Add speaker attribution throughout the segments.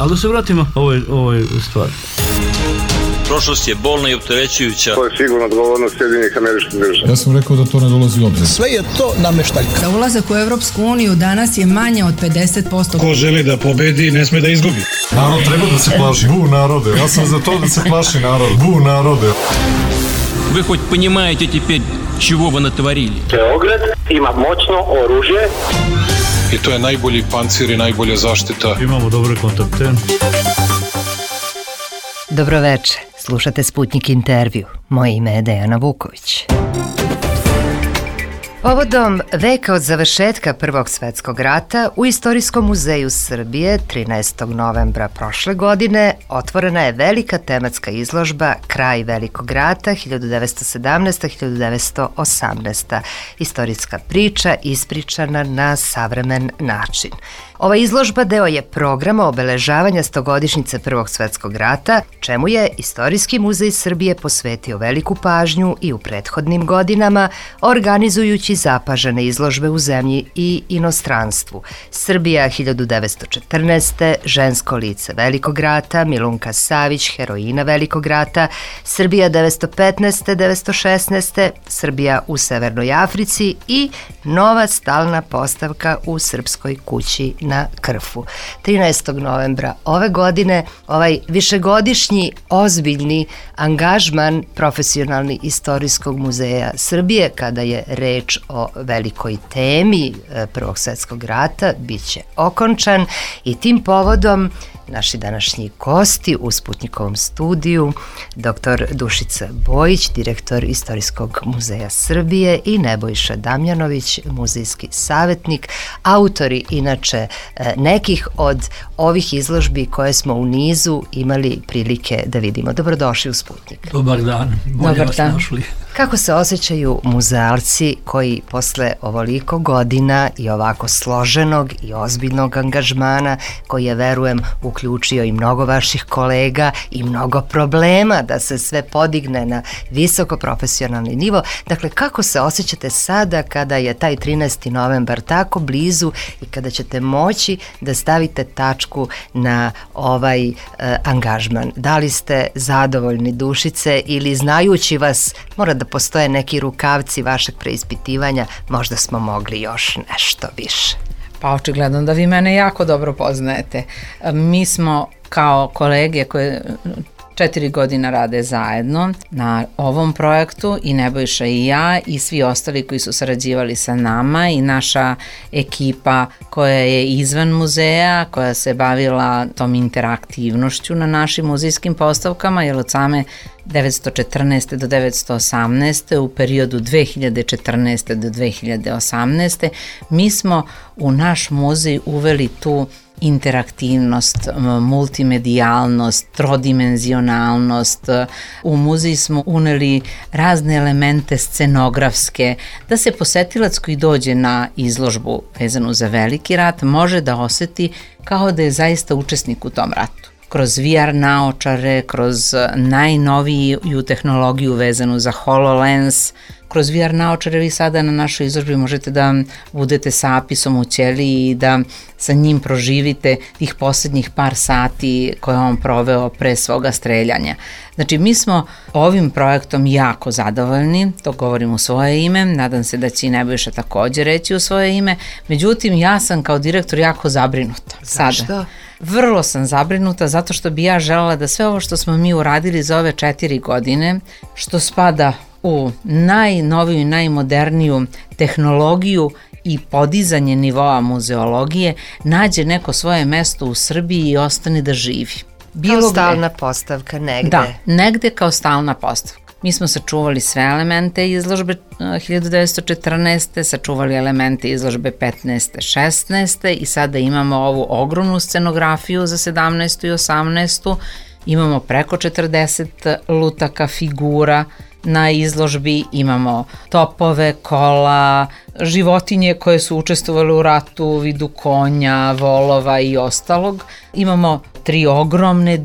Speaker 1: Ali da se vratimo ovoj stvari.
Speaker 2: Prošlost je bolna i opterećujuća.
Speaker 3: To je sigurno odgovornost Sjedinjenih Američkih Država.
Speaker 4: Ja sam rekao da to ne dolazi u obzir.
Speaker 5: Sve je to nameštaljka.
Speaker 6: Za ulazak u Evropsku uniju danas je manje od 50%.
Speaker 7: Ko želi da pobedi, ne sme da izgubi.
Speaker 4: Narod treba da se plaši. Bu narode. Ja sam za to da se plaši narod. Bu narode.
Speaker 2: Вы хоть понимаете теперь, чего вы натворили?
Speaker 3: Beograd ima moćno oružje.
Speaker 4: I to je najbolji pancir i najbolja zaštita.
Speaker 1: Imamo dobre kontakte.
Speaker 8: Dobroveče, slušate Sputnik intervju. Moje ime je Dejana Vuković. Povodom veka od završetka Prvog svetskog rata u Istorijskom muzeju Srbije 13. novembra prošle godine otvorena je velika tematska izložba Kraj velikog rata 1917-1918. Istorijska priča ispričana na savremen način. Ova izložba deo je programa obeležavanja 100-godišnjice Prvog svetskog rata, čemu je Istorijski muzej Srbije posvetio veliku pažnju i u prethodnim godinama, organizujući zapažene izložbe u zemlji i inostranstvu. Srbija 1914. Žensko lice velikog rata, Milunka Savić, heroina velikog rata, Srbija 1915. 1916. Srbija u Severnoj Africi i nova stalna postavka u Srpskoj kući na Krfu. 13. novembra ove godine ovaj višegodišnji ozbiljni angažman profesionalni Istorijskog muzeja Srbije kada je reč o velikoj temi Prvog svetskog rata bit će okončan i tim povodom naši današnji gosti u Sputnikovom studiju, dr. Dušica Bojić, direktor Istorijskog muzeja Srbije i Nebojša Damjanović, muzejski savjetnik, autori inače nekih od ovih izložbi koje smo u nizu imali prilike da vidimo. Dobrodošli u Sputnik.
Speaker 1: Dobar dan, bolje vas našli.
Speaker 8: Kako se osjećaju muzealci koji posle ovoliko godina i ovako složenog i ozbiljnog angažmana, koji je, verujem, uključio i mnogo vaših kolega i mnogo problema da se sve podigne na visoko profesionalni nivo. Dakle, kako se osjećate sada kada je taj 13. novembar tako blizu i kada ćete moći da stavite tačku na ovaj angažman? Da li ste zadovoljni, Dušice, ili znajući vas, mora da postoje neki rukavci vašeg preispitivanja, možda smo mogli još nešto više?
Speaker 6: Pa očigledno da vi mene jako dobro poznajete. Mi smo kao kolege koje 4 godina rade zajedno na ovom projektu, i Nebojša i ja i svi ostali koji su sarađivali sa nama i naša ekipa koja je izvan muzeja, koja se bavila tom interaktivnošću na našim muzejskim postavkama, jer od same 1914. do 1918. u periodu 2014. do 2018. mi smo u naš muzej uveli tu interaktivnost, multimedijalnost, trodimenzionalnost. U muzej smo uneli razne elemente scenografske, da se posetilac koji dođe na izložbu vezanu za veliki rat može da oseti kao da je zaista učesnik u tom ratu. Kroz VR naočare, kroz najnoviju tehnologiju vezanu za HoloLens, kroz VR naočare vi sada na našoj izložbi možete da budete sa Apisom u ćeliji i da sa njim proživite tih posljednjih par sati koje on proveo pre svoga streljanja. Znači, mi smo ovim projektom jako zadovoljni, to govorim u svoje ime, nadam se da će i Nebojša također reći u svoje ime, međutim ja sam kao direktor jako zabrinuta.
Speaker 8: Zašto?
Speaker 6: Sada. Vrlo sam zabrinuta zato što bi ja želela da sve ovo što smo mi uradili za ove 4 godine, što spada u najnoviju i najmoderniju tehnologiju i podizanje nivoa muzeologije, nađe neko svoje mesto u Srbiji i ostane da živi.
Speaker 8: Kao stalna postavka negde.
Speaker 6: Da, negde kao stalna postavka. Mi smo sačuvali sve elemente izložbe 1914. sačuvali elemente izložbe 15. 16. i sada imamo ovu ogromnu scenografiju za 17. i 18. Imamo preko 40 lutaka figura na izložbi, imamo topove, kola, životinje koje su učestvovale u ratu u vidu konja, volova i ostalog. Imamo 3 ogromne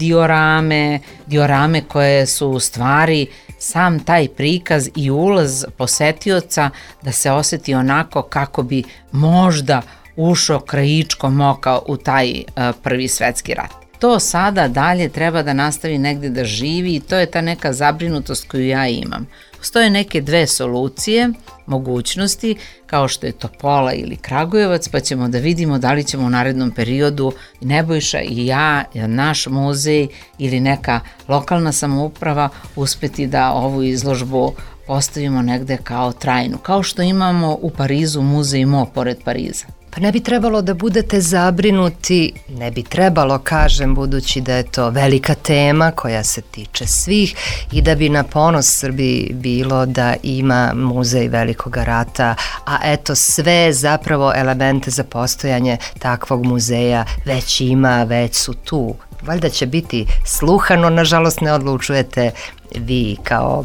Speaker 6: diorame koje su u stvari sam taj prikaz i ulaz posetioca da se osjeti onako kako bi možda ušao krajičkom oka u taj Prvi svetski rat. to sada dalje treba da nastavi negde da živi i to je ta neka zabrinutost koju ja imam. Postoje neke dve solucije, mogućnosti, kao što je Topola ili Kragujevac, pa ćemo da vidimo da li ćemo u narednom periodu Nebojša i ja, naš muzej ili neka lokalna samouprava uspeti da ovu izložbu postavimo negde kao trajnu, kao što imamo u Parizu muzej Mo pored Pariza.
Speaker 8: Pa ne bi trebalo da budete zabrinuti, ne bi trebalo, kažem, budući da je to velika tema koja se tiče svih i da bi na ponos Srbiji bilo da ima muzej Velikog rata, a eto sve zapravo elemente za postojanje takvog muzeja već ima, već su tu. Valjda će biti sluhano, nažalost ne odlučujete vi kao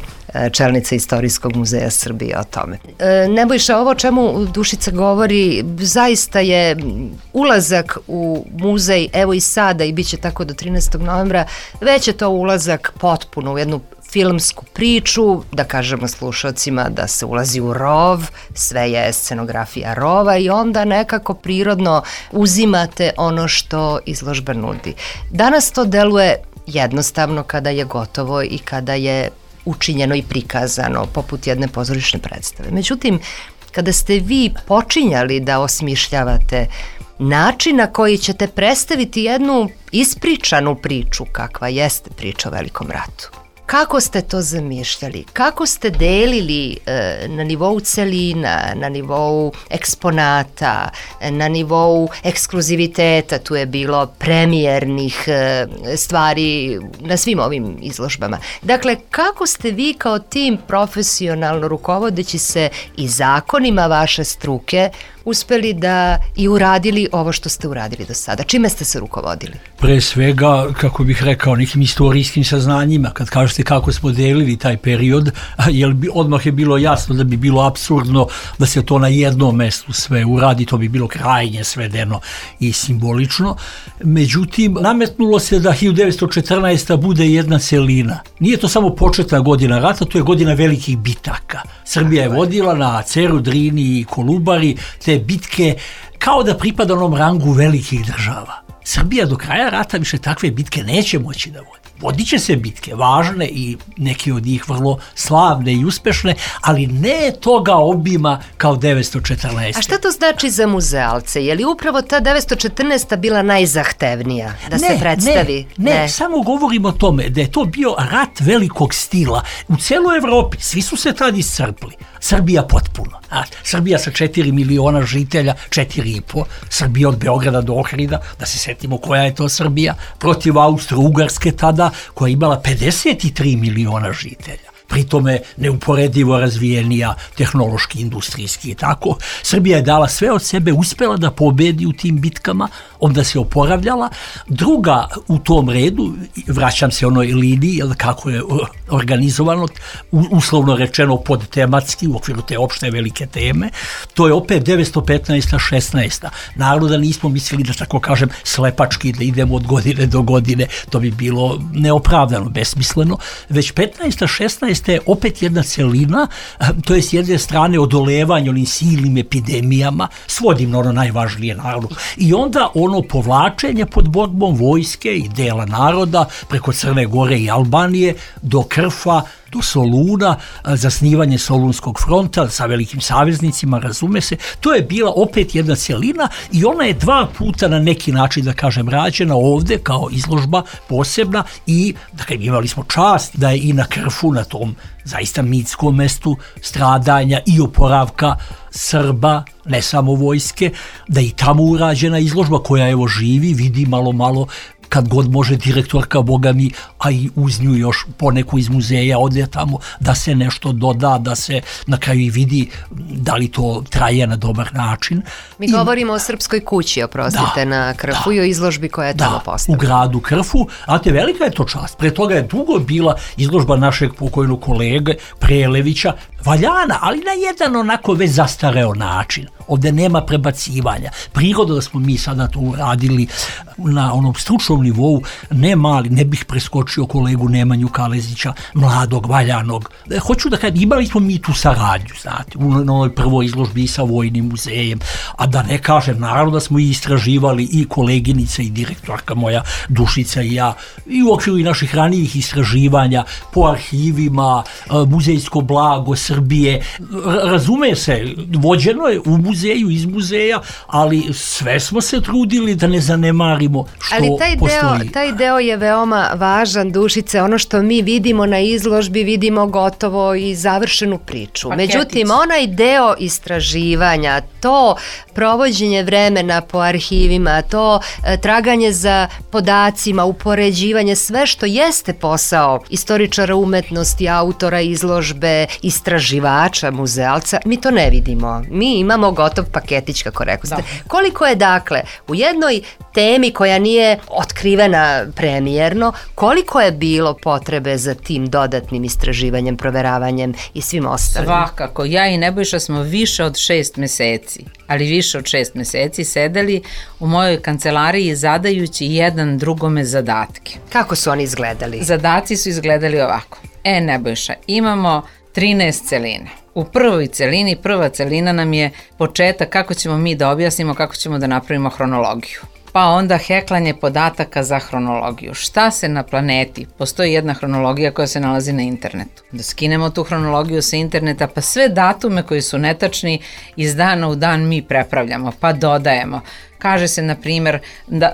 Speaker 8: čelnica Istorijskog muzeja Srbije o tome. Nebojša, ovo o čemu Dušica govori zaista je ulazak u muzej, evo i sada i bit će tako do 13. novembra, već je to ulazak potpuno u jednu filmsku priču, da kažemo slušalcima da se ulazi u rov, sve je scenografija rova i onda nekako prirodno uzimate ono što izložba nudi. Danas to deluje jednostavno kada je gotovo i kada je učinjeno i prikazano, poput jedne pozorišne predstave. Međutim, kada ste vi počinjali da osmišljavate način na koji ćete predstaviti jednu ispričanu priču, kakva jeste priča o Velikom ratu, kako ste to zamišljali? Kako ste delili na nivou celina, na nivou eksponata, na nivou ekskluziviteta, tu je bilo premijernih stvari na svim ovim izložbama. Dakle, kako ste vi kao tim profesionalno rukovodeći se i zakonima vaše struke uspeli da i uradili ovo što ste uradili do sada? Čime ste se rukovodili?
Speaker 1: Pre svega, kako bih rekao, nekim istorijskim saznanjima. Kad kažete kako smo delili taj period, odmah je bilo jasno da bi bilo apsurdno da se to na jednom mestu sve uradi, to bi bilo krajnje svedeno i simbolično. Međutim, nametnulo se da 1914. bude jedna celina. Nije to samo početna godina rata, to je godina velikih bitaka. Srbija je vodila na Ceru, Drini i Kolubari te bitke kao da pripada onom rangu velikih država. Srbija do kraja rata više takve bitke neće moći da vodi. Vodit će se bitke, važne i neke od njih vrlo slavne i uspešne, ali ne toga obima kao 914.
Speaker 8: A šta to znači za muzealce? Je li upravo ta 914. bila najzahtevnija da se predstavi?
Speaker 1: Ne, samo govorimo o tome da je to bio rat velikog stila. U celoj Evropi svi su se tad iscrpli. Srbija potpuno. Srbija sa 4 miliona žitelja, 4,5. Srbija od Beograda do Ohrida, da se setimo koja je to Srbija, protiv Austro-Ugarske tada, koja je imala 53 miliona žitelja. Pritome neuporedivo razvijenija tehnološki, industrijski i tako. Srbija je dala sve od sebe, uspela da pobedi u tim bitkama, onda se oporavljala. Druga u tom redu, vraćam se onoj liniji, kako je organizovano, uslovno rečeno podtematski, u okviru te opšte velike teme, to je opet 915. 16. Naravno nismo mislili da, tako kažem, slepački da idemo od godine do godine, to bi bilo neopravdano, besmisleno, već 15. 16. je opet jedna celina, to je s jedne strane odolevanje onim silnim epidemijama, svodim na ono najvažnije naravno, i onda ono povlačenje pod borbom vojske i dela naroda preko Crne Gore i Albanije do Krfa, do Soluna, zasnivanje Solunskog fronta sa velikim saveznicima, razume se, to je bila opet jedna celina i ona je 2 puta na neki način, da kažem, rađena ovde kao izložba posebna i dakle, imali smo čast da je i na Krfu, na tom zaista mitskom mestu stradanja i oporavka Srba, ne samo vojske, da je i tamo urađena izložba koja evo živi, vidi malo kad god može direktorka, boga mi, a i uz nju još poneku iz muzeja ode tamo da se nešto doda, da se na kraju i vidi da li to traje na dobar način.
Speaker 8: Mi govorimo o Srpskoj kući, oprostite, na Krfu i o izložbi koja je tamo postavljena.
Speaker 1: U gradu Krfu, a te velika je to čast. Pre toga je dugo bila izložba našeg pokojnog kolege Prelevića, valjana, ali na jedan onako već zastareo način. Ovde nema prebacivanja. Priroda da smo mi sada to uradili na onom stručnom nivou, ne mali, ne bih preskočio uključio kolegu Nemanju Kalezića, mladog, valjanog. Hoću da kažem, imali smo mi tu saradnju, znate, u novoj prvoj izložbi sa Vojnim muzejem, a da ne kažem, naravno da smo i istraživali i koleginica i direktorka moja Dušica i ja, i u okviru i naših ranijih istraživanja po arhivima, muzejsko blago Srbije. Razume se, vođeno je u muzeju, iz muzeja, ali sve smo se trudili da ne zanemarimo što postoji.
Speaker 8: Ali taj deo je veoma važan, Dušice, ono što mi vidimo na izložbi, vidimo gotovo i završenu priču. Međutim, onaj deo istraživanja, to provođenje vremena po arhivima, to traganje za podacima, upoređivanje, sve što jeste posao istoričara umetnosti, autora izložbe, istraživača, muzealca, mi to ne vidimo. Mi imamo gotov paketić, kako rekao ste. Koliko je dakle u jednoj temi koja nije otkrivena premijerno, koliko je bilo potrebe za tim dodatnim istraživanjem, proveravanjem i svim ostalim?
Speaker 6: Svakako, ja i Nebojša smo više od 6 meseci, ali više od 6 meseci sedeli u mojoj kancelariji zadajući jedan drugome zadatke.
Speaker 8: Kako su oni izgledali?
Speaker 6: Zadaci su izgledali ovako. Nebojša, imamo 13 celina. U prvoj celini, prva celina nam je početak kako ćemo mi da objasnimo, kako ćemo da napravimo hronologiju. Pa onda heklanje podataka za hronologiju. Šta se na planeti? Postoji jedna hronologija koja se nalazi na internetu. Da skinemo tu hronologiju sa interneta, pa sve datume koji su netačni iz dana u dan mi prepravljamo, pa dodajemo. Kaže se, na primjer,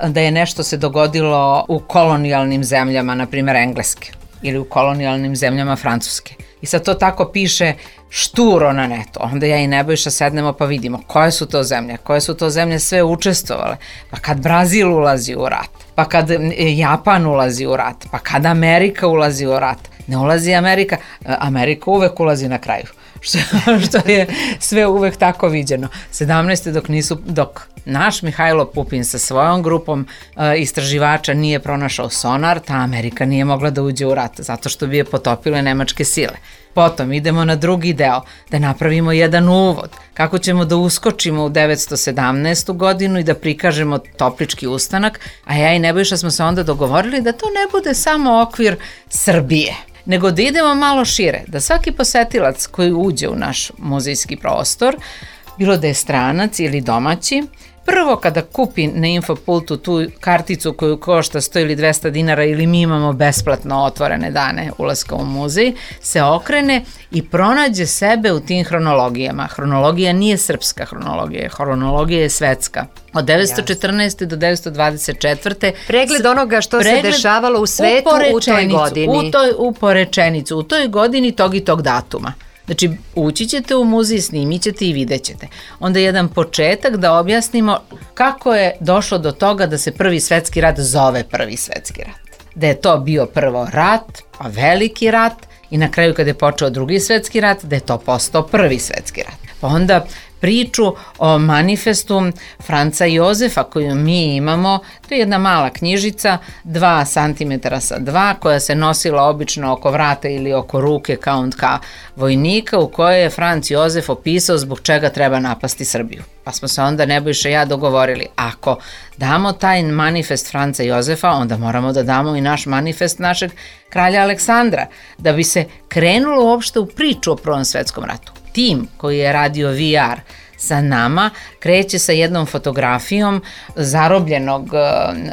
Speaker 6: da je nešto se dogodilo u kolonijalnim zemljama, na primjer Engleske, ili u kolonijalnim zemljama Francuske. I sad to tako piše šturo na netu. Onda ja i Nebojša sednemo pa vidimo koje su to zemlje sve učestvovale. Pa kad Brazil ulazi u rat, pa kad Japan ulazi u rat, pa kad Amerika ulazi u rat. Ne ulazi Amerika, Amerika uvek ulazi na kraju. Što je sve uvek tako viđeno. 17. dok naš Mihajlo Pupin sa svojom grupom istraživača nije pronašao sonar, ta Amerika nije mogla da uđe u rat, zato što bi je potopile nemačke sile. Potom idemo na drugi deo, da napravimo jedan uvod, kako ćemo da uskočimo u 917. godinu i da prikažemo Toplički ustanak, a ja i Nebojša smo se onda dogovorili da to ne bude samo okvir Srbije, nego da idemo malo šire, da svaki posetilac koji uđe u naš muzejski prostor, bilo da je stranac ili domaći, prvo kada kupi na Infopultu tu karticu koju košta 100 ili 200 dinara ili mi imamo besplatno otvorene dane ulaska u muzej, se okrene i pronađe sebe u tim hronologijama. Hronologija nije srpska hronologija je svetska. Od 914. do 924.
Speaker 8: Pregled onoga što se dešavalo u svetu u toj godini.
Speaker 6: U toj godini tog i tog datuma. Znači, ući ćete u muzej, snimit ćete i vidjet ćete. Onda jedan početak da objasnimo kako je došlo do toga da se Prvi svetski rat zove Prvi svetski rat. Da je to bio prvo rat, pa veliki rat i na kraju kada je počeo Drugi svetski rat, da je to postao Prvi svetski rat. Pa onda priču o manifestu Franca Jozefa koju mi imamo, to je jedna mala knjižica, 2 cm sa 2, koja se nosila obično oko vrata ili oko ruke kauntka vojnika, u kojoj je Franc Jozef opisao zbog čega treba napasti Srbiju. Pa smo se onda Nebojša i ja dogovorili, ako damo taj manifest Franca Jozefa, onda moramo da damo i naš manifest našeg kralja Aleksandra, da bi se krenulo uopšte u priču o Prvom svetskom ratu. Tim koji je radio VR sa nama kreće sa jednom fotografijom zarobljenog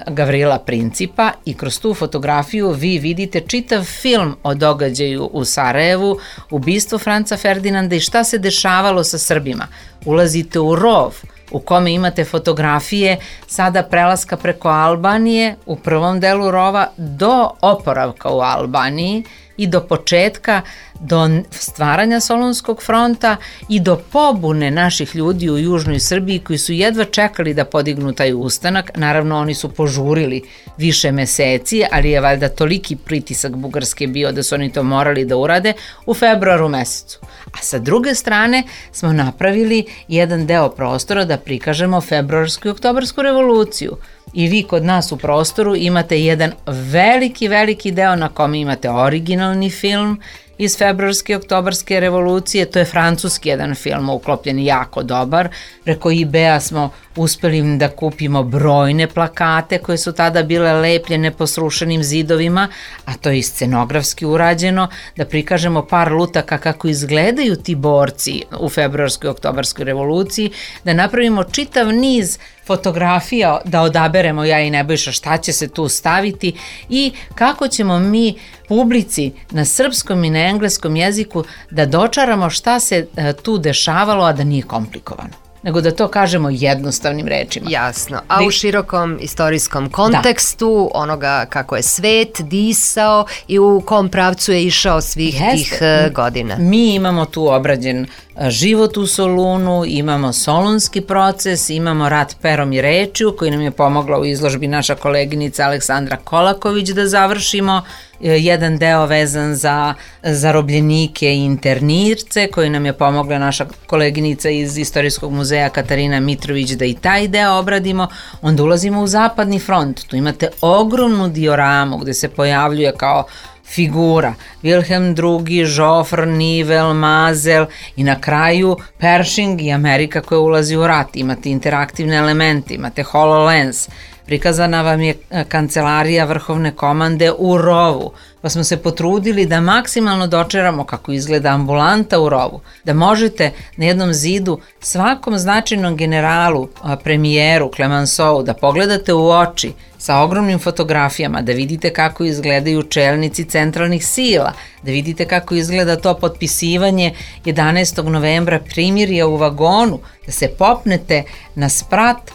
Speaker 6: Gavrila Principa i kroz tu fotografiju vi vidite čitav film o događaju u Sarajevu, ubistvo Franca Ferdinanda i šta se dešavalo sa Srbima. Ulazite u rov u kome imate fotografije sada prelaska preko Albanije u prvom delu rova do oporavka u Albaniji i do početka, do stvaranja Solunskog fronta i do pobune naših ljudi u južnoj Srbiji koji su jedva čekali da podignu taj ustanak. Naravno, oni su požurili više meseci, ali je valjda toliki pritisak Bugarske bio da su oni to morali da urade u februaru mesecu. A sa druge strane smo napravili jedan deo prostora da prikažemo februarsku i oktobarsku revoluciju. I vi kod nas u prostoru imate jedan veliki deo na kome imate originalni film iz februarske i oktobarske revolucije, to je francuski jedan film uklopljen jako dobar. Preko eBaya smo uspeli da kupimo brojne plakate koje su tada bile lepljene po srušenim zidovima, a to je i scenografski urađeno, da prikažemo par lutaka kako izgledaju ti borci u februarskoj i oktobarskoj revoluciji, da napravimo čitav niz fotografija, da odaberemo ja i Nebojša šta će se tu staviti i kako ćemo mi publici na srpskom i na engleskom jeziku da dočaramo šta se tu dešavalo, a da nije komplikovano, nego da to kažemo jednostavnim rečima.
Speaker 8: Jasno, a u širokom istorijskom kontekstu onoga kako je svet disao i u kom pravcu je išao svih tih godina.
Speaker 6: Mi imamo tu obrađen život u Solunu, imamo solunski proces, imamo rat perom i rečju koji nam je pomogla u izložbi naša koleginica Aleksandra Kolaković da završimo, jedan deo vezan za zarobljenike i internirce koji nam je pomogla naša koleginica iz Istorijskog muzeja Katarina Mitrović da i taj deo obradimo. Onda ulazimo u Zapadni front, tu imate ogromnu dioramu gde se pojavljuje kao figura Wilhelm II, Joffre, Nivel, Mazel i na kraju Pershing i Amerika koja ulazi u rat. Imate interaktivne elemente, imate HoloLens, prikazana vam je kancelarija vrhovne komande u rovu, pa smo se potrudili da maksimalno dočeramo kako izgleda ambulanta u rovu, da možete na jednom zidu svakom značajnom generalu, premijeru, Clemenceau, da pogledate u oči sa ogromnim fotografijama, da vidite kako izgledaju čelnici centralnih sila, da vidite kako izgleda to potpisivanje 11. novembra primirja u vagonu, da se popnete na sprat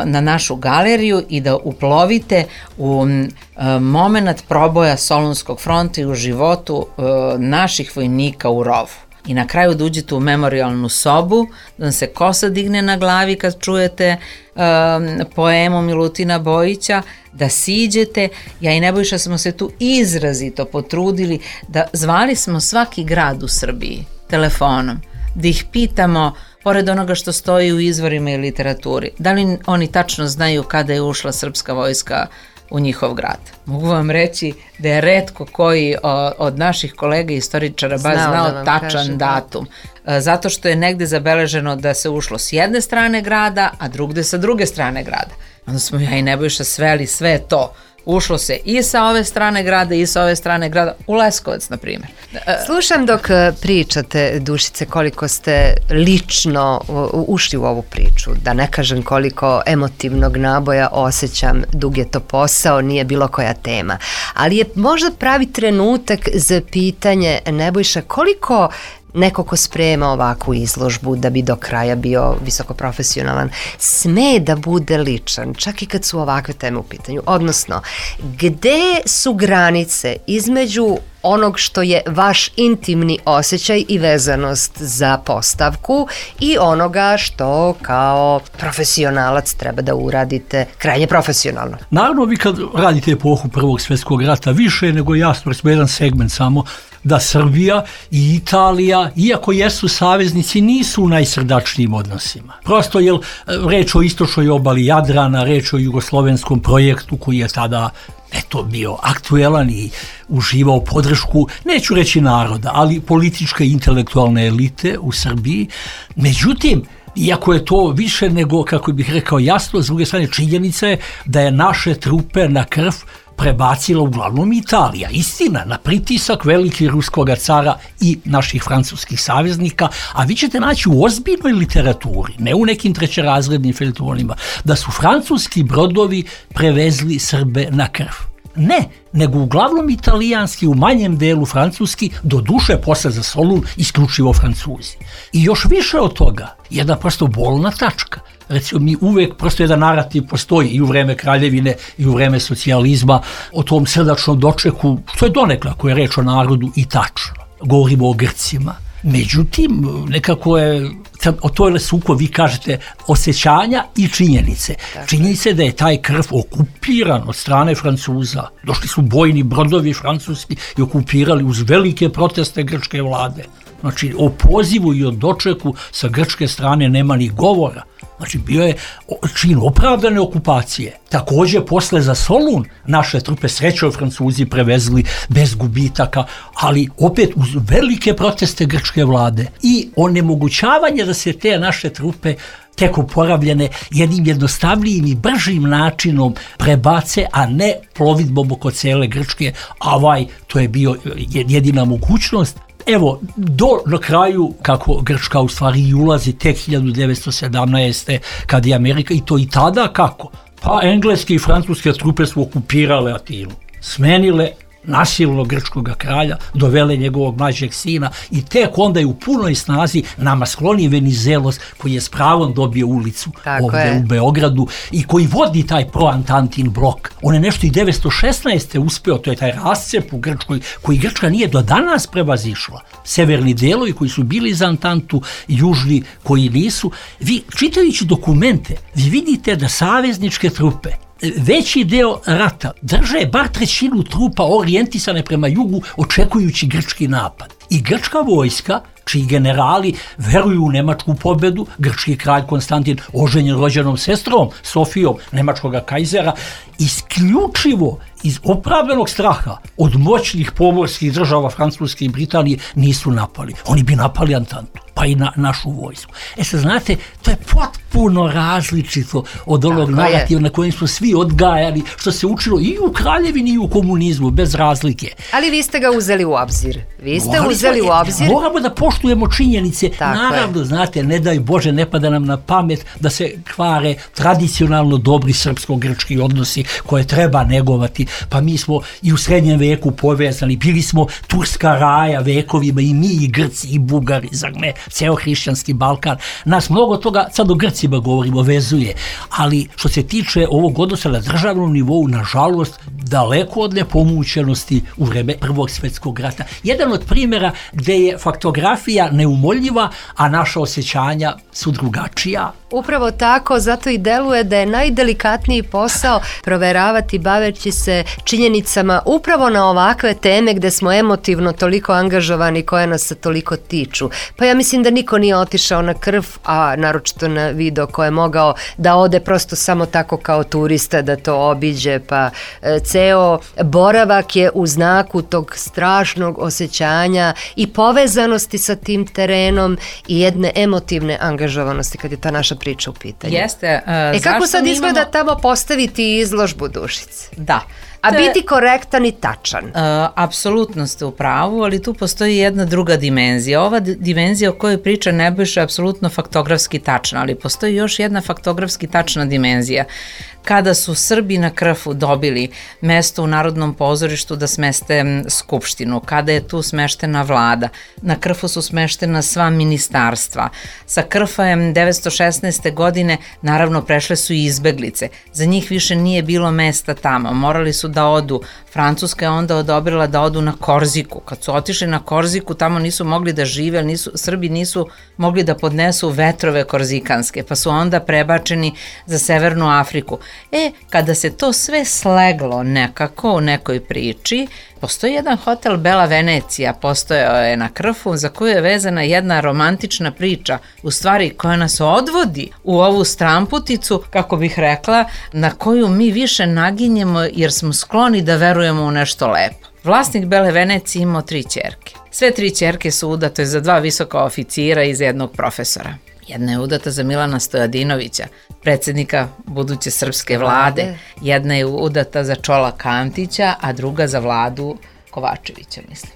Speaker 6: na našu galeriju i da uplovite u moment proboja Solunskog fronta i u životu naših vojnika u rovu. I na kraju da uđete u memorijalnu sobu, da vam se kosa digne na glavi kad čujete poemu Milutina Bojića, da siđete. Ja i Nebojša smo se tu izrazito potrudili da zvali smo svaki grad u Srbiji telefonom, da ih pitamo, pored onoga što stoji u izvorima i literaturi, da li oni tačno znaju kada je ušla srpska vojska u njihov grad. Mogu vam reći da je retko koji od naših kolega istoričara baš znao tačan datum. Zato što je negde zabeleženo da se ušlo s jedne strane grada, a drugde sa druge strane grada. Onda smo ja i Nebojša sveli sve to. Ušlo se i sa ove strane grada i sa ove strane grada, u Leskovac, na primjer.
Speaker 8: Slušam dok pričate, Dušice, koliko ste lično ušli u ovu priču, da ne kažem koliko emotivnog naboja osjećam, dug je to posao, nije bilo koja tema. Ali je možda pravi trenutak za pitanje, Nebojša, koliko neko ko sprema ovakvu izložbu da bi do kraja bio visokoprofesionalan, sme da bude ličan, čak i kad su ovakve teme u pitanju. Odnosno, gde su granice između onog što je vaš intimni osjećaj i vezanost za postavku i onoga što kao profesionalac treba da uradite krajnje profesionalno?
Speaker 1: Naravno, vi kad radite epohu Prvog svjetskog rata, više nego jasno, smo jedan segment samo, da Srbija i Italija, iako jesu saveznici, nisu u najsrdačnijim odnosima. Prosto je reč o istočnoj obali Jadrana, reč o jugoslovenskom projektu koji je tada bio aktuelan i uživao podršku, neću reći naroda, ali političke i intelektualne elite u Srbiji. Međutim, iako je to više nego, kako bih rekao, jasno, s druge strane činjenica je da je naše trupe na krv prebacila uglavnom Italija. Istina, na pritisak veliki ruskog cara i naših francuskih saveznika, a vi ćete naći u ozbiljnoj literaturi, ne u nekim trećerazrednim feljtonima, da su francuski brodovi prevezli Srbe na krv. Ne, nego uglavnom italijanski, u manjem delu francuski, do duše posle za Solun isključivo Francuzi. I još više od toga, jedna prosto bolna tačka. Recimo, mi uvek, prosto jedan narativ postoji i u vreme kraljevine i u vreme socijalizma o tom srdačnom dočeku, što je donekle, ako je reč o narodu, i tačno. Govorimo o Grcima. Međutim, nekako je, o toj suko vi kažete osjećanja i činjenice. Činjenice da je taj krv okupiran od strane Francuza. Došli su bojni brodovi francuski i okupirali uz velike proteste grčke vlade. Znači, o pozivu i o dočeku sa grčke strane nema ni govora. Znači bio je čin opravdane okupacije. Također posle za Solun naše trupe, srećom Francuzi prevezli bez gubitaka, ali opet uz velike proteste grčke vlade i onemogućavanje da se te naše trupe tek oporavljene jednim jednostavnijim i bržim načinom prebace, a ne plovidbom oko cele Grčke, a to je bio jedina mogućnost. Evo, na kraju, kako Grčka u stvari ulazi tek 1917. kad je Amerika, i to i tada kako? Pa engleske i francuske trupe su okupirale Atinu, smenile nasilno grčkog kralja, dovele njegovog mlađeg sina i tek onda je u punoj snazi nama skloni Venizelos, koji je s pravom dobio ulicu ovdje u Beogradu i koji vodi taj proantantin blok. On je nešto i 1916. uspeo, to je taj rascep u Grčkoj, koji Grčka nije do danas prevazišla. Severni delovi koji su bili za Antantu, južni koji nisu. Vi, čitajući dokumente, vi vidite da savezničke trupe veći deo rata drže bar trećinu trupa orijentisane prema jugu, očekujući grčki napad. I grčka vojska, čiji generali veruju u nemačku pobedu, grčki kralj Konstantin, oženjen rođenom sestrom Sofijom nemačkog kajzera, isključivo iz opravdanog straha od moćnih pomorskih država Francuske i Britanije nisu napali. Oni bi napali Antantu, pa i našu vojsku. Sad znate, to je potpuno različito od onog narativa na kojem smo svi odgajali, što se učilo i u kraljevini i u komunizmu, bez razlike.
Speaker 8: Ali vi ste ga uzeli u obzir. Moramo
Speaker 1: da poštujemo činjenice. Naravno, znate, ne daj Bože, ne pada nam na pamet da se kvare tradicionalno dobri srpsko-grčki odnosi koje treba negovati. Pa mi smo i u srednjem veku povezani, bili smo turska raja vekovima, i mi i Grci i Bugari, zar ne, ceo hrišćanski Balkan. Nas mnogo toga, sad o Grcima govorimo, vezuje, ali što se tiče ovog odnosa na državnom nivou, nažalost, daleko od nepomućenosti u vreme Prvog svjetskog rata. Jedan od primjera gdje je faktografija neumoljiva, a naša osjećanja su drugačija.
Speaker 8: Upravo tako, zato i deluje da je najdelikatniji posao proveravati baveći se činjenicama upravo na ovakve teme gde smo emotivno toliko angažovani, koje nas se toliko tiču. Pa ja mislim da niko nije otišao na krv, a naročito na video ko je mogao da ode prosto samo tako kao turista da to obiđe, pa ceo boravak je u znaku tog strašnog osjećanja i povezanosti sa tim terenom i jedne emotivne angažovanosti kad je ta naša priča u pitanju.
Speaker 6: Jeste.
Speaker 8: Kako sad izgleda tamo postaviti izložbu, Dušice?
Speaker 6: Da.
Speaker 8: A biti korektan i tačan.
Speaker 6: Apsolutno ste u pravu, ali tu postoji jedna druga dimenzija. Ova dimenzija o kojoj priča Nebojša je apsolutno faktografski tačna, ali postoji još jedna faktografski tačna dimenzija. Kada su Srbi na Krfu dobili mesto u Narodnom pozorištu da smeste skupštinu, kada je tu smeštena vlada, na Krfu su smeštena sva ministarstva. Sa Krfa je 1916. godine naravno prešle su i izbeglice. Za njih više nije bilo mesta tamo, morali su da odu. Francuska je onda odobrila da odu na Korziku. Kad su otišli na Korziku, tamo nisu mogli da žive, Srbi nisu mogli da podnesu vetrove korzikanske, pa su onda prebačeni za Severnu Afriku. Kada se to sve sleglo nekako u nekoj priči, postoji jedan hotel Bela Venecija, postojao je na Krfu, za koju je vezana jedna romantična priča, u stvari koja nas odvodi u ovu stramputicu, kako bih rekla, na koju mi više naginjemo jer smo skloni da verujemo u nešto lepo. Vlasnik Bele Venecije imao 3 ćerke. Sve 3 ćerke su udate za 2 visoka oficira i za jednog profesora. Jedna je udata za Milana Stojadinovića, predsjednika buduće srpske vlade. Jedna je udata za Čolaka Antića, a druga za Vladu Kovačevića, mislim.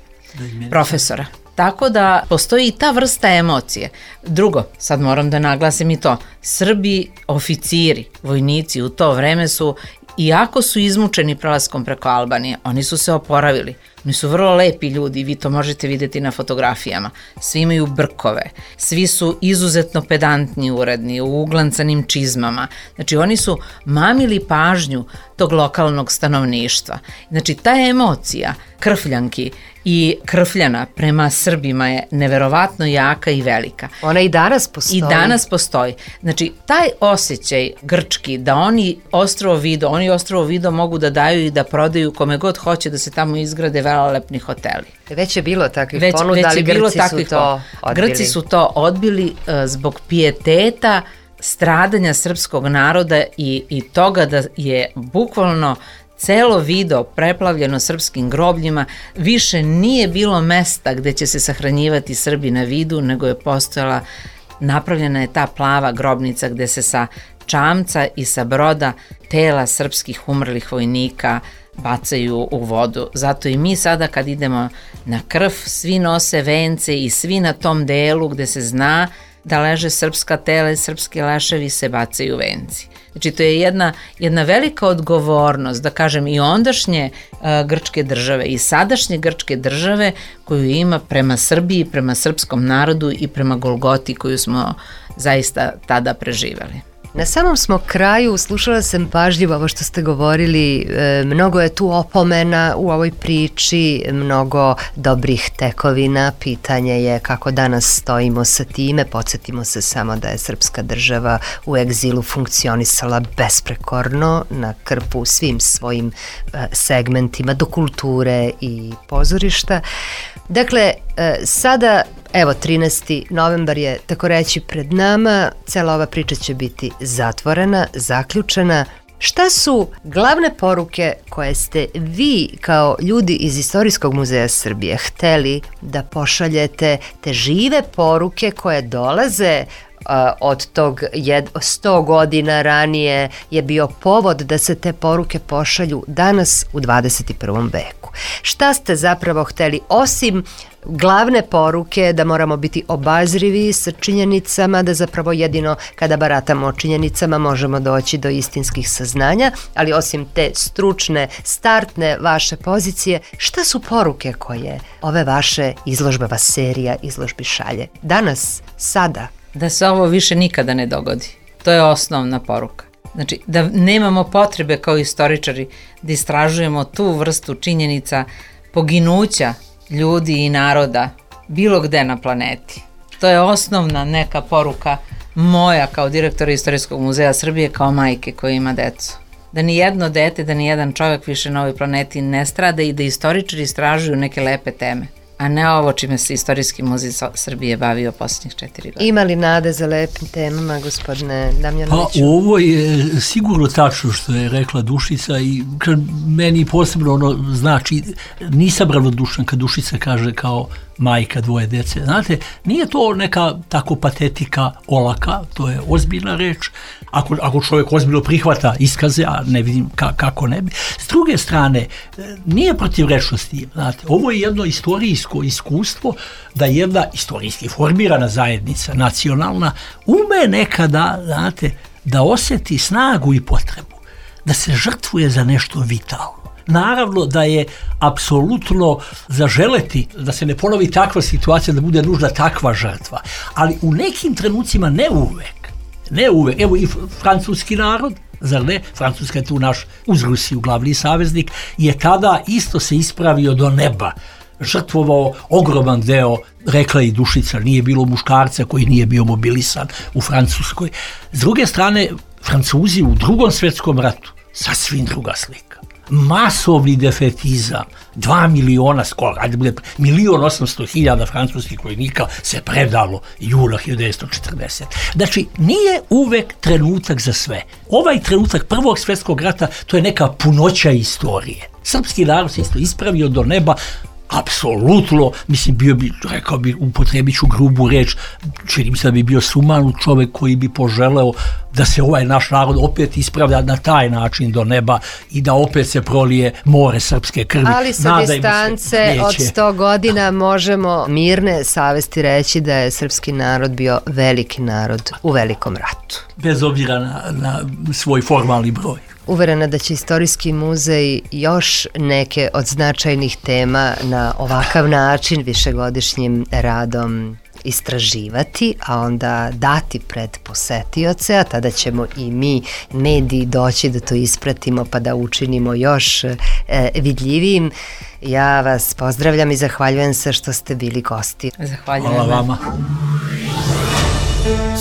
Speaker 6: Profesora. Tako da postoji i ta vrsta emocije. Drugo, sad moram da naglasim i to, Srbi, oficiri, vojnici u to vreme su, iako su izmučeni prelaskom preko Albanije, oni su se oporavili. Oni su vrlo lepi ljudi, vi to možete vidjeti na fotografijama. Svi imaju brkove, svi su izuzetno pedantni, uredni, u uglancanim čizmama. Znači oni su mamili pažnju tog lokalnog stanovništva. Znači ta emocija Krfljanki i Krfljana prema Srbima je neverovatno jaka i velika.
Speaker 8: Ona i danas postoji.
Speaker 6: I danas postoji. Znači taj osjećaj grčki da oni ostrvo Vido mogu da daju i da prodaju kome god hoće da se tamo izgrade velelepni hoteli.
Speaker 8: Već je bilo takvih ponuda, ali Grci su to odbili.
Speaker 6: Grci su to odbili zbog pijeteta stradanja srpskog naroda i toga da je bukvalno celo video preplavljeno srpskim grobljima, više nije bilo mesta gde će se sahranjivati Srbi na vidu, nego je postojala, napravljena je ta plava grobnica gde se sa čamca i sa broda tela srpskih umrlih vojnika bacaju u vodu. Zato i mi sada kad idemo na krv, svi nose vence i svi na tom delu gde se zna da leže srpska tela i srpski leševi se bacaju venci. Znači to je jedna velika odgovornost, da kažem, i ondašnje grčke države i sadašnje grčke države koju ima prema Srbiji, prema srpskom narodu i prema Golgoti koju smo zaista tada preživeli.
Speaker 8: Na samom smo kraju, slušala sam pažljivo ovo što ste govorili, mnogo je tu opomena u ovoj priči, mnogo dobrih tekovina, pitanje je kako danas stojimo sa time, podsjetimo se samo da je srpska država u egzilu funkcionisala besprekorno na krpu svim svojim segmentima do kulture i pozorišta. Dakle, sada, evo, 13. novembar je tako reći pred nama, cela ova priča će biti zatvorena, zaključena. Šta su glavne poruke koje ste vi kao ljudi iz Istorijskog muzeja Srbije hteli da pošaljete, te žive poruke koje dolaze od tog 100 godina ranije je bio povod da se te poruke pošalju danas u 21. veku. Šta ste zapravo hteli, osim glavne poruke da moramo biti obazrivi sa činjenicama, da zapravo jedino kada baratamo o činjenicama možemo doći do istinskih saznanja, ali osim te stručne, startne vaše pozicije, šta su poruke koje ove vaše izložbava serija izložbi šalje? Danas, sada?
Speaker 6: Da se ovo više nikada ne dogodi. To je osnovna poruka. Znači, da nemamo potrebe kao istoričari da istražujemo tu vrstu činjenica poginuća ljudi i naroda bilo gde na planeti. To je osnovna neka poruka moja kao direktora Istorijskog muzeja Srbije, kao majke koja ima decu. Da ni jedno dete, da ni jedan čovjek više na ovoj planeti ne strada i da istoričari istražuju neke lepe teme, a ne ovo čime se Istorijski muzej Srbije bavio posljednjih 4 godine.
Speaker 8: Ima li nade za lepim temama, gospodine Damjanoviću?
Speaker 1: Pa ovo je sigurno tačno što je rekla Dušica i meni posebno ono znači, nisam ravnodušan kad Dušica kaže kao majka 2 dece. Znate, nije to neka tako patetika olaka, to je ozbiljna reč. Ako čovjek ozbiljno prihvata iskaze, a ne vidim kako ne bi. S druge strane, nije protivrečnosti. Znate, ovo je jedno istorijsko iskustvo da jedna istorijski formirana zajednica, nacionalna, ume nekada, znate, da osjeti snagu i potrebu, da se žrtvuje za nešto vitalno. Naravno da je apsolutno zaželeti da se ne ponovi takva situacija, da bude nužna takva žrtva, ali u nekim trenucima ne uvek. Evo i francuski narod, zar ne? Francuska je tu naš uz Rusiju glavni saveznik, je tada isto se ispravio do neba, žrtvovao ogroman deo, rekla i Dušica, nije bilo muškarca koji nije bio mobilisan u Francuskoj. S druge strane, Francuzi u Drugom svjetskom ratu, sasvim druga slika. Masovni defetizam, 2 miliona skoro, 1.800.000 francuskih vojnika se predalo jula 1940. Znači, nije uvek trenutak za sve. Ovaj trenutak Prvog svjetskog rata, to je neka punoća istorije. Srpski narod se isto ispravio do neba, apsolutno, mislim, rekao bi, upotrebit ću grubu reč, čini mi se da bi bio sumanut čovjek koji bi poželeo da se ovaj naš narod opet ispravlja na taj način do neba i da opet se prolije more srpske krvi.
Speaker 8: Ali sa distance od 100 godina možemo mirne savesti reći da je srpski narod bio veliki narod u velikom ratu.
Speaker 1: Bez obzira na svoj formalni broj.
Speaker 8: Uverena da će Istorijski muzej još neke od značajnih tema na ovakav način višegodišnjim radom istraživati, a onda dati pred posetioce, a tada ćemo i mi, mediji, doći da to ispratimo pa da učinimo još vidljivijim. Ja vas pozdravljam i zahvaljujem se što ste bili gosti.
Speaker 6: Zahvaljujem.
Speaker 1: Hvala vama.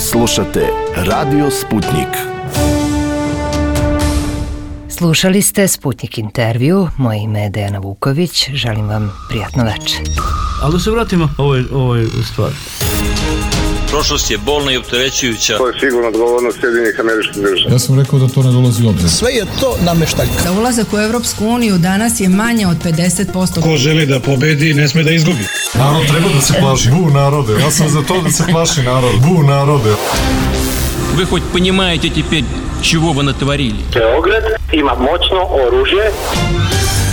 Speaker 5: Slušate Radio Sputnik.
Speaker 8: Slušali ste Sputnik intervju, moje ime je Dejana Vuković, želim vam prijatno večer.
Speaker 7: Ali da se vratimo ovoj stvari.
Speaker 2: Prošlost je bolna i opterećujuća.
Speaker 3: To je sigurno odgovornost Sjedinjenih Američkih Država.
Speaker 4: Ja sam rekao da to ne dolazi u obzir.
Speaker 9: Sve je to nameštaljka.
Speaker 10: Da ulazak u Evropsku uniju danas je manje od 50%.
Speaker 7: Ko želi da pobedi, ne sme da izgubi.
Speaker 4: Narod treba da se plaši. Bu narode, ja sam za to da se plaši narod. Bu narode.
Speaker 2: Вы хоть понимаете теперь, чего вы натворили?
Speaker 3: Beograd ima moćno oružje.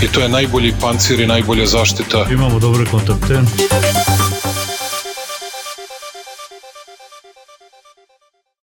Speaker 11: I to je najbolji pancir i najbolja zaštita.
Speaker 7: Imamo dobre kontakte.